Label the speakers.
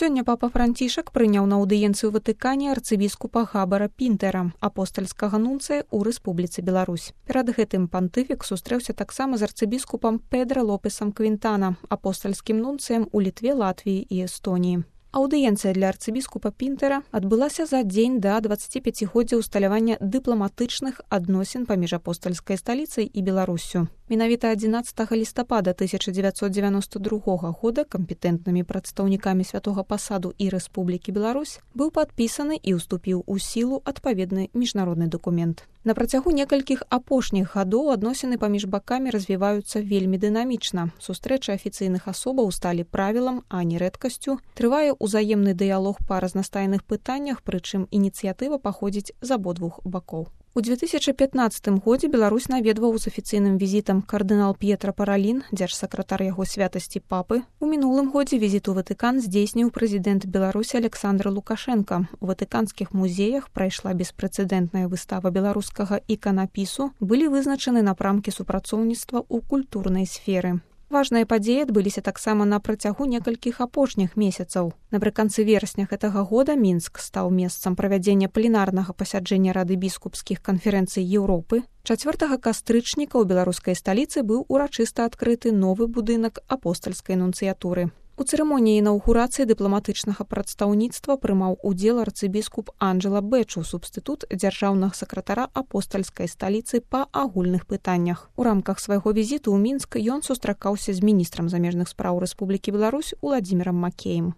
Speaker 1: Сёння папа Францішак прыняў на аўдыенцыю ў Ватыкане арцыбіскупа Габара Пінтера, апостальскага нунцыя ў Рэспубліцы Беларусь. Перад гэтым пантыфік сустрэўся таксама з арцыбіскупам Педро Лопесам Квінтана, апостальскім нунцыем у Літве, Латвіі і Эстоніі. Аўдыенцыя для арцыбіскупа Пінтера адбылася за дзень да 25годдзя ўсталявання дыпламатычных адносін паміж апостальскай сталіцай і Беларуссю. Менавіта 11 лістапада 1992 года кампетэнтнымі прадстаўнікамі святога пасаду і Рэспублікі Беларусь быў падпісаны і ўступіў у сілу адпаведны міжнародны дакумент. На працягу некалькіх апошніх гадоў адносіны паміж бакамі развіваюцца вельмі дынамічна. Сустрэчы афіцыйных асобаў сталі правілам, а не рэдкасцю. Трывае узаемны дыялог па разнастайных пытаннях, прычым ініцыятыва паходзіць з абодвух бакоў. У 2015 годзе Беларусь наведваў з афіцыйным візітам кардынал П'етра Паралін, дзяржсакратар яго святасці папы. У мінулым годзе візіт у Ватыкан здзейсніў прэзідэнт Беларусі Александр Лукашенка. У ватыканскіх музеях прайшла беспрэцэдэнтная выстава беларускага іканапісу, былі вызначаны напрамкі супрацоўніцтва ў культурнай сферы. Важныя падзеі адбыліся таксама на працягу некалькіх апошніх месяцаў. Напрыканцы верасня гэтага года Мінск стаў месцам правядзення пленарнага пасяджэння Рады біскупскіх канферэнцый Еўропы. 4 кастрычніка ў беларускай сталіцы быў урачыста адкрыты новы будынак апостальскай нунцыятуры. У цырымоніі інаўгурацыі дыпламатычнага прадстаўніцтва прымаў удзел арцыбіскуп Анджела Бэчу, субстытут дзяржаўнага сакратара апостальскай сталіцы па агульных пытаннях. У рамках свайго візіту ў Мінск ён сустракаўся з міністрам замежных спраў Рэспублікі Беларусь Уладзімірам Макеем.